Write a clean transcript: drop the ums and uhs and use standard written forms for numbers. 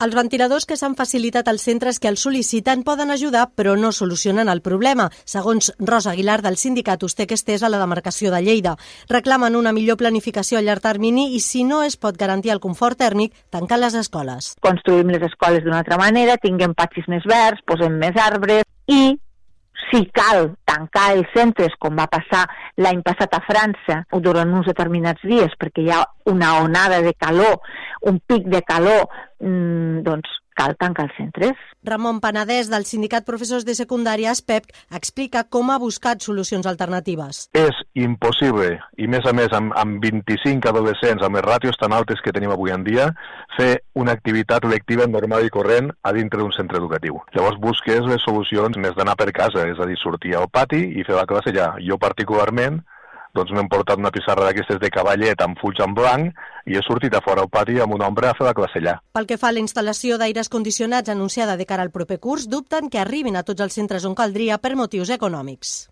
Els ventiladors que s'han facilitat als centres que els sol·liciten poden ajudar, però no solucionen el problema, segons Rosa Aguilar del sindicat Ustec Estès a la demarcació de Lleida. Reclamen una millor planificació a llarg termini i, si no es pot garantir el confort tèrmic, tancar les escoles. Construïm les escoles d'una altra manera, tinguem patxis més verds, posem més arbres i, si cal tancar els centres, com va passar l'any passat a França, o durant uns determinats dies, perquè hi ha una onada de calor, un pic de calor, doncs cal tancar els centres. Ramon Penedès, del sindicat Professors de Secundària SPEP, explica com ha buscat solucions alternatives. És impossible, i més a més amb 25 adolescents, amb les ràtios tan altes que tenim avui en dia, fer una activitat lectiva normal i corrent a dintre d'un centre educatiu. Llavors busques les solucions més d'anar per casa, és a dir, sortir al pati i fer la classe allà. Jo particularment doncs m'he portat una pissarra d'aquestes de cavallet amb fulls en blanc i he sortit a fora al pati amb un ombra a fer la classe allà. Pel que fa a la instal·lació d'aires condicionats anunciada de cara al proper curs, dubten que arribin a tots els centres on caldria per motius econòmics.